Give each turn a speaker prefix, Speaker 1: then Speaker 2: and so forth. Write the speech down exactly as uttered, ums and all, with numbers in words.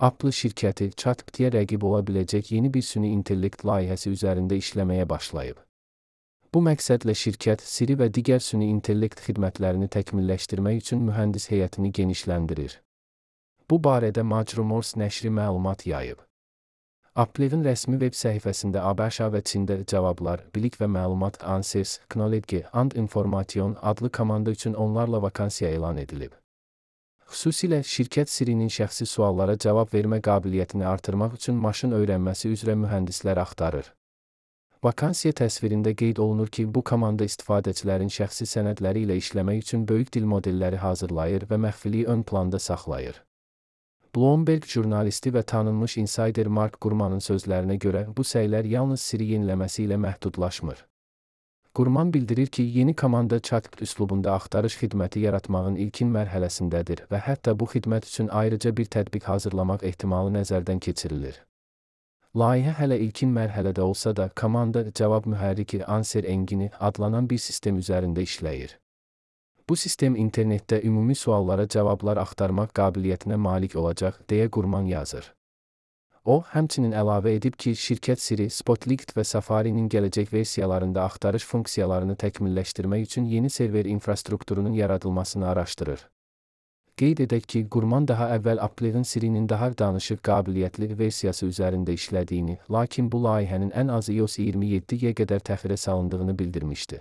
Speaker 1: Apple şirkəti ChatGPT-yə rəqib ola biləcək yeni bir süni intellekt layihəsi üzərində işləməyə başlayıb. Bu məqsədlə şirkət Siri və digər süni intellekt xidmətlərini təkmilləşdirmək üçün mühəndis heyətini genişləndirir. Bu barədə Majrumors nəşri məlumat yayıb. Apple'in rəsmi web səhifəsində ABŞ və Çində cavablar, bilik və məlumat Answers, Knowledge and Information adlı komanda üçün onlarla vakansiya elan edilib. Xüsusilə şirkət Siri'nin şəxsi suallara cavab vermə qabiliyyətini artırmaq üçün maşın öyrənməsi üzrə mühəndislər axtarır. Vakansiya təsvirində qeyd olunur ki, bu komanda istifadəçilərin şəxsi sənədləri ilə işləmək üçün böyük dil modelləri hazırlayır və məxfiliyi ön planda saxlayır. Bloomberg jurnalisti və tanınmış insider Mark Gurmanın sözlərinə görə bu səylər yalnız Siri yeniləməsi ilə məhdudlaşmır. Gurman bildirir ki, yeni komanda ChatGPT üslubunda axtarış xidməti yaratmağın ilkin mərhələsindədir və hətta bu xidmət üçün ayrıca bir tətbiq hazırlamaq ehtimalı nəzərdən keçirilir. Layihə hələ ilkin mərhələdə olsa da, komanda cavab mühərriki Answer Engine adlanan bir sistem üzərində işləyir. Bu sistem internetdə ümumi suallara cavablar axtarmaq qabiliyyətinə malik olacaq, deyə Gurman yazır. O, həmçinin əlavə edib ki, şirkət Siri, Spotlight və Safari'nin gələcək versiyalarında axtarış funksiyalarını təkmilləşdirmək üçün yeni server infrastrukturunun yaradılmasını araşdırır. Qeyd edək ki, Gurman daha əvvəl Apple'in Siri'nin daha danışıq qabiliyyətli versiyası üzərində işlədiyini, lakin bu layihənin ən azı iOS iyirmi yeddiyə qədər təxirə salındığını bildirmişdi.